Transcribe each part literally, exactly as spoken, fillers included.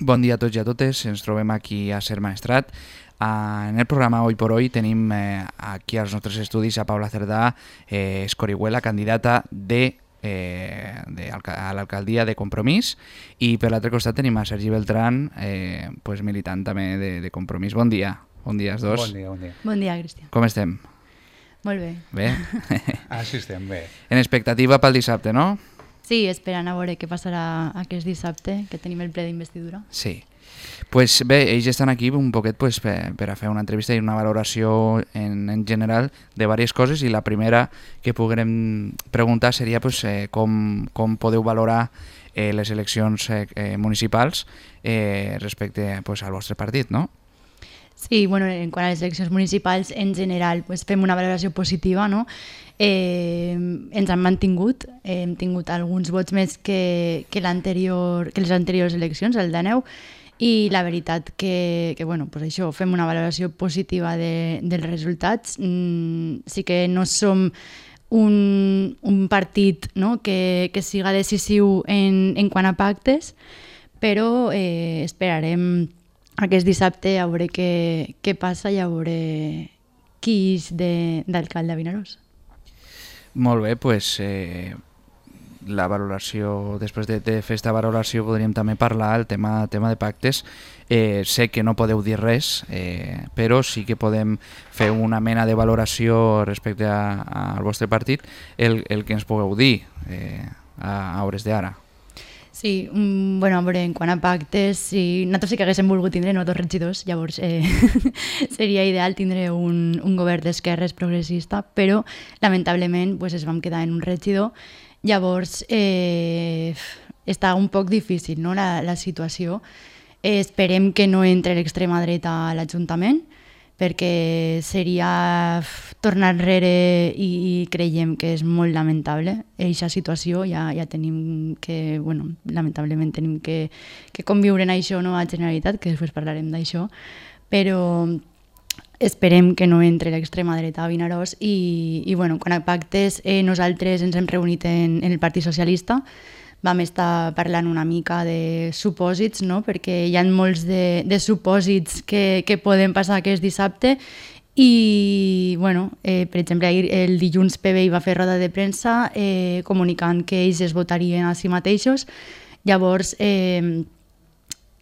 Bon dia a tots i a totes, ens trobem aquí a Ser Maestrat. Uh, en el programa Hoy por Hoy tenim eh, aquí als nostres estudis a Paula Cerdà, eh, Escorihuela, candidata de, eh, de a l'alcaldia de Compromís, i per l'altre costat tenim a Sergi Beltrán, eh, pues militant també de, de Compromís. Bon dia. Bon dia als dos. Bon dia, bon dia. Bon dia, Cristian. Com estem? Molt bé. Bé? Ah, sí, estem bé. En expectativa pel dissabte, no? Sí, esperant a veure què passarà aquest dissabte, que tenim el ple d'investidura. Sí. Pues bé, ells estan aquí un poquet pues, per, per a fer una entrevista i una valoració en, en general de diverses coses, i la primera que puguem preguntar seria pues, eh, com, com podeu valorar eh, les eleccions eh, eh, municipals eh, respecte pues, al vostre partit, no? Sí, bueno, en quant a les eleccions municipals, en general, pues, fem una valoració positiva, no? Eh, ens han mantingut, eh, hem tingut alguns vots més que, que, l'anterior, que les anteriors eleccions, el d'Aneu, i la veritat que, que bueno, pues això, fem una valoració positiva de, dels resultats. Mm, sí que no som un, un partit, no? que, que siga decisiu en, en quant a pactes, però eh, esperarem aquest dissabte a veure què, què passa i a veure qui és d'alcalde a Vinaròs. Molt bé, doncs eh, la valoració, després de, de fer aquesta valoració podríem també parlar el tema, tema de pactes. Eh, sé que no podeu dir res, eh, però sí que podem fer una mena de valoració respecte a, a, al vostre partit, el, el que ens pugueu dir eh, a, a hores d'ara. Sí, um, bueno, a veure, en quant a pactes, si nosaltres sí que haguéssim volgut tindre no dos regidors, llavors eh, seria ideal tindre un, un govern d'esquerres progressista, però lamentablement pues, es vam quedar en un regidor. Llavors eh, està un poc difícil, no?, la, la situació. Eh, esperem que no entre l'extrema dreta a l'Ajuntament, perquè seria tornar enrere i, i creiem que és molt lamentable. Aquesta situació ja, ja tenim que, bueno, lamentablement tenim que, que conviure en això, no, a Generalitat, que després parlarem d'això, però esperem que no entre l'extrema dreta a Vinaròs i, i bueno, quan a pactes eh, nosaltres ens hem reunit en, en el Partit Socialista, vam estar parlant una mica de supòsits, no? Perquè hi ha molts de, de supòsits que, que poden passar aquest dissabte i, bueno, eh, per exemple, ahir el dilluns P B I va fer roda de premsa eh, comunicant que ells es votarien a si mateixos. Llavors, eh,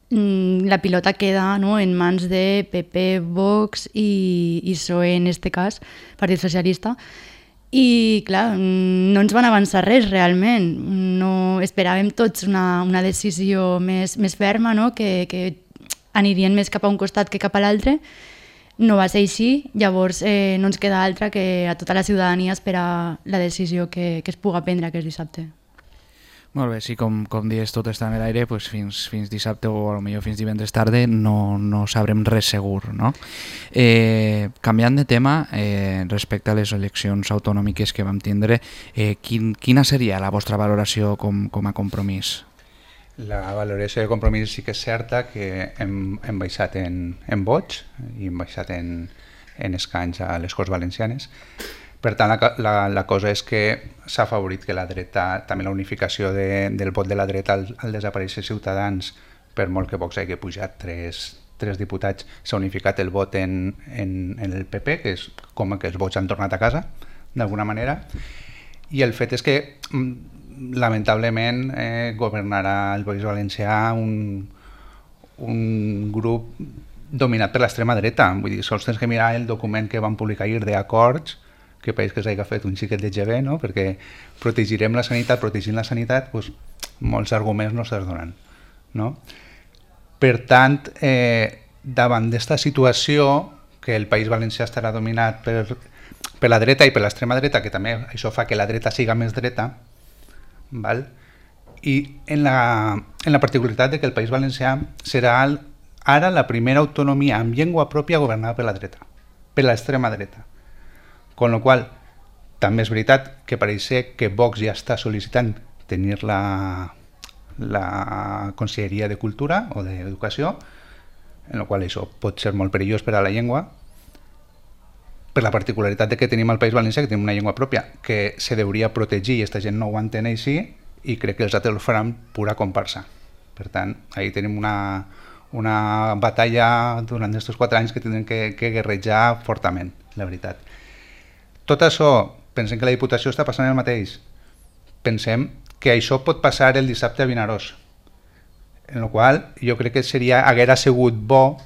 la pilota queda, no?, en mans de P P, Vox i, i P S O E, en este cas, Partit Socialista. I, clar, no ens van avançar res, realment. No, esperàvem tots una, una decisió més, més ferma, no?, que, que anirien més cap a un costat que cap a l'altre. No va ser així, llavors eh, no ens queda altra que a tota la ciutadania esperar la decisió que, que es puga prendre aquest dissabte. Molt bé, sí, com, com dius, tot està en l'aire, pues fins, fins dissabte o potser fins divendres tarda no, no sabrem res segur, no? Eh, canviant de tema, eh, respecte a les eleccions autonòmiques que vam tindre, eh, quin, quina seria la vostra valoració com, com a Compromís? La valoració de Compromís sí que és certa que hem, hem baixat en, en vots i hem baixat en, en escanys a les Corts Valencianes. Per tant, la, la, la cosa és que s'ha afavorit que la dreta, també la unificació de, del vot de la dreta al, al desaparèixer Ciutadans, per molt que Vox hagi pujat tres, tres diputats, s'ha unificat el vot en, en, en el P P, que és com que els vots han tornat a casa, d'alguna manera. I el fet és que, lamentablement, eh, governarà el País Valencià un, un grup dominat per l'extrema dreta. Vull dir, sols tens que mirar el document que van publicar ahir d'acords, que pareix que s'hagi fet un xiquet de G B, no? Perquè protegirem la sanitat, protegint la sanitat, doncs, molts arguments no se'ls donen, no? Per tant, eh, davant d'esta situació, que el País Valencià estarà dominat per, per la dreta i per l'extrema dreta, que també això fa que la dreta siga més dreta, val? I en la, en la particularitat de que el País Valencià serà el, ara la primera autonomia amb llengua pròpia governada per la dreta, per l'extrema dreta. Con lo qual, també és veritat que pareix ser que Vox ja està sol·licitant tenir la, la Conselleria de Cultura o d'Educació, en la qual això pot ser molt perillós per a la llengua, per la particularitat de que tenim al País Valencià, que tenim una llengua pròpia, que se hauria protegir i aquesta gent no ho entén així, i crec que els altres ho faran pura comparsa. Per tant, ahí tenim una, una batalla durant aquests quatre anys que tindrem que, que guerrejar fortament, la veritat. Tot això, pensem que la Diputació està passant el mateix. Pensem que això pot passar el dissabte a Vinaròs, en el qual jo crec que seria, haguera sigut bo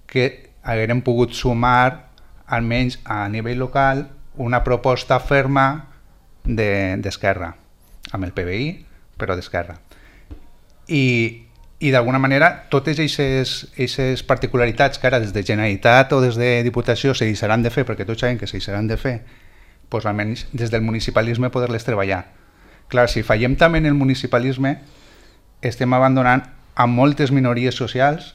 que haguérem pogut sumar, almenys a nivell local, una proposta ferma d'Esquerra, amb el P B I, però d'Esquerra. I, i d'alguna manera, totes aquestes particularitats que ara des de Generalitat o des de Diputació se deixaran de fer, perquè tots sabem que se deixaran de fer, doncs almenys des del municipalisme poder-les treballar. Clar, si fallem també en el municipalisme, estem abandonant a moltes minories socials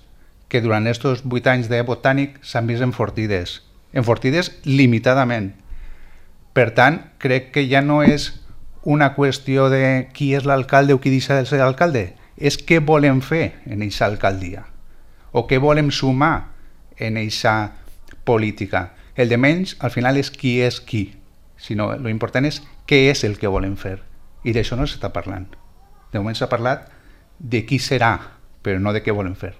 que durant aquests vuit anys de Botànic s'han vist enfortides, enfortides limitadament. Per tant, crec que ja no és una qüestió de qui és l'alcalde o qui deixa de ser alcalde, és què volem fer en aquesta alcaldia o què volem sumar en aquesta política. El de menys, al final, és qui és qui, sinó l'important és què és el que volem fer. I d'això no s'està parlant. De moment s'ha parlat de qui serà, però no de què volem fer.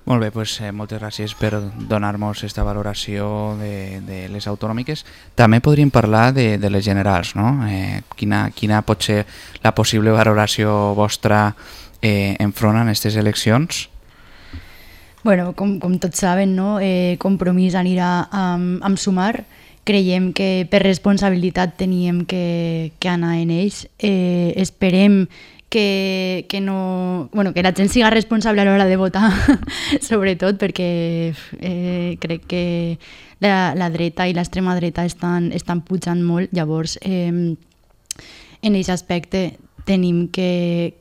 Molt bé, doncs, eh, moltes gràcies per donar-nos aquesta valoració de, de les autonòmiques. També podríem parlar de, de les generals, no? Eh, quina, quina pot ser la possible valoració vostra eh, enfront en aquestes eleccions? Bueno, com, com tots saben, no? eh, Compromís anirà amb, amb Sumar. Creiem que per responsabilitat teníem que, que anar en ells. Eh, esperem Que, que, no, bueno, que la gent siga responsable a l'hora de votar, sobretot perquè eh, crec que la, la dreta i l'extrema dreta estan, estan pujant molt. Llavors, eh, en aquest aspecte tenim que,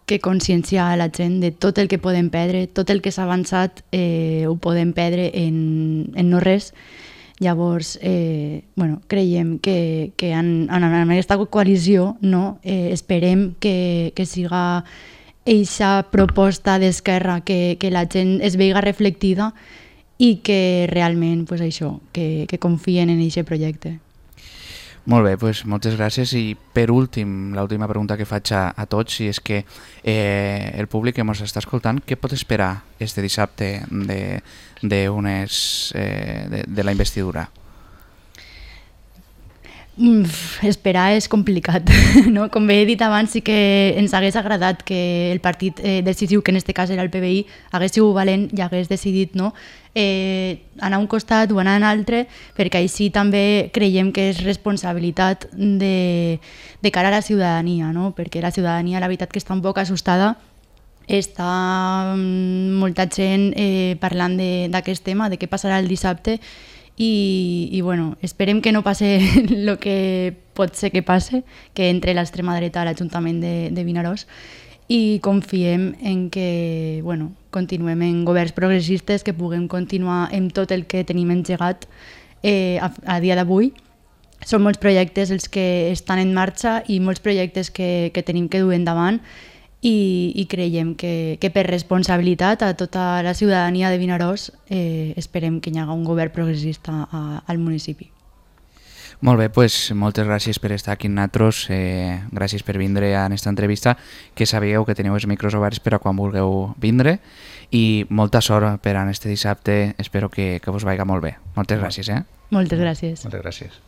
que conscienciar a la gent de tot el que podem perdre, tot el que s'ha avançat eh, ho podem perdre en, en no res. Llavors, eh, bueno, creiem que, que en, en, en aquesta coalició no, eh, esperem que, que siga aquesta proposta d'Esquerra, que, que la gent es veiga reflectida i que realment, pues això, que, que confien en aquest projecte. Molt bé, doncs moltes gràcies. I per últim, l'última pregunta que faig a, a tots, i és que eh, el públic que ens està escoltant, què pot esperar este dissabte de, de, unes, eh, de, de la investidura? Mm, esperar és complicat, no? Com bé he dit abans, sí que ens hagués agradat que el partit eh, decisiu, que en aquest cas era el P B I, hagués sigut valent i hagués decidit, no? Eh, anar a un costat o anar a un altre, perquè així també creiem que és responsabilitat de, de cara a la ciutadania, no? Perquè la ciutadania, la veritat, que està un poc assustada, està molta gent eh, parlant d'aquest tema, de què passarà el dissabte, i, i bueno, esperem que no passe el que pot ser que passe, que entre l'extrema dreta a l'Ajuntament de, de Vinaròs, i confiem en que bueno, continuem en governs progressistes, que puguem continuar amb tot el que tenim engegat eh, a, a dia d'avui. Són molts projectes els que estan en marxa i molts projectes que, que tenim que dur endavant, i, i creiem que, que per responsabilitat a tota la ciutadania de Vinaròs eh, esperem que hi hagi un govern progressista a, al municipi. Molt bé, doncs moltes gràcies per estar aquí amb nosaltres, eh, gràcies per vindre a aquesta entrevista, que sabíeu que teniu els micros oberts per a quan vulgueu vindre, i molta sort per a este dissabte, espero que, que vos vagi molt bé. Moltes gràcies. Eh? Moltes gràcies. Moltes gràcies.